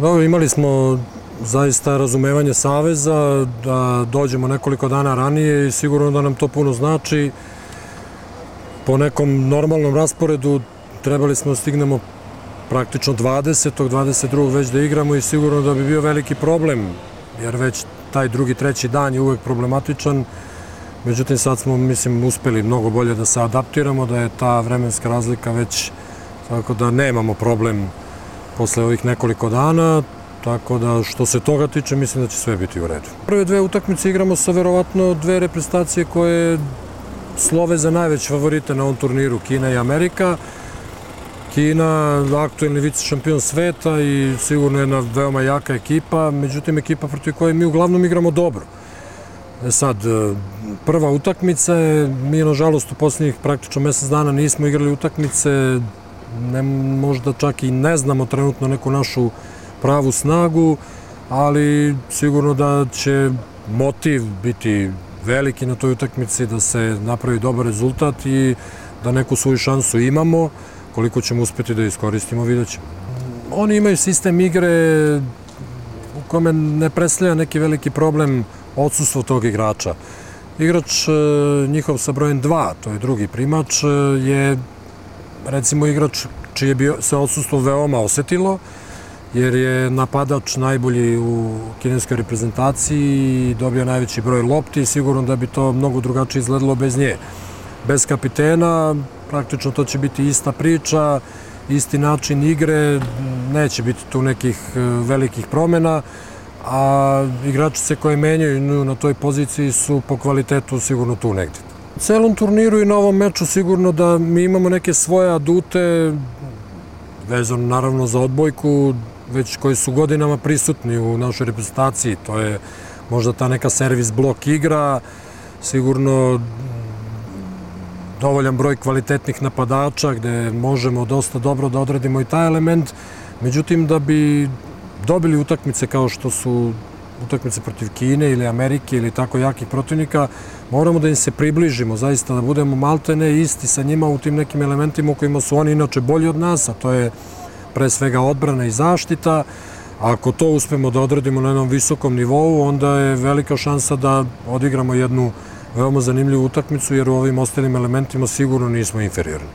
Dobro, imali smo zaista razumevanje Saveza da dođemo nekoliko dana ranije i sigurno da nam to puno znači. Po nekom normalnom rasporedu trebali smo da stignemo praktično 20. 22. već da igramo i sigurno da bi bio veliki problem, jer već taj drugi, treći dan je uvek problematičan. Međutim, sad smo, mislim, uspeli mnogo bolje da se adaptiramo, da je ta vremenska razlika već, tako da nemamo problem posle ovih nekoliko dana, tako da što se toga tiče, mislim da će sve biti u redu. Prve dve utakmice igramo sa verovatno dve reprezentacije koje slove za najveće favorite na ovom turniru, Kina i Amerika. Kina, aktuelni vice šampion sveta i sigurno jedna veoma jaka ekipa, međutim ekipa protiv koje mi uglavnom igramo dobro. Sad, prva utakmica je, mi nažalost u posljednjih praktično mesec dana nismo igrali utakmice, možda čak i ne znamo trenutno neku našu pravu snagu, ali sigurno da će motiv biti veliki na toj utakmici, da se napravi dobar rezultat i da neku svoju šansu imamo. Koliko ćemo uspeti da iskoristimo, vidjet ćemo. Oni imaju sistem igre u kome ne predstavlja neki veliki problem odsustvo tog igrača. Igrač njihov sa brojem 2, to je drugi primač, je recimo igrač čije bi se odsustvo veoma osetilo, jer je napadač najbolji u kineskoj reprezentaciji i dobio najveći broj lopti i sigurno da bi to mnogo drugačije izgledalo bez nje. Bez kapitena, praktično to će biti ista priča, isti način igre, neće biti tu nekih velikih promjena, a igračice koje menjaju na toj poziciji su po kvalitetu sigurno tu negde. U celom turniru i na ovom meču sigurno da mi imamo neke svoje adute, vezano naravno za odbojku, već koji su godinama prisutni u našoj reprezentaciji. To je možda ta neka servis blok igra, sigurno dovoljan broj kvalitetnih napadača gde možemo dosta dobro da odradimo i taj element. Međutim, da bi dobili utakmice kao što su utakmice protiv Kine ili Amerike ili tako jakih protivnika, moramo da im se približimo, zaista da budemo maltene isti sa njima u tim nekim elementima u kojima su oni inače bolji od nas, a to je pre svega odbrana i zaštita. Ako to uspemo da odradimo na jednom visokom nivou, onda je velika šansa da odigramo jednu veoma zanimljivu utakmicu, jer u ovim ostalim elementima sigurno nismo inferiorni.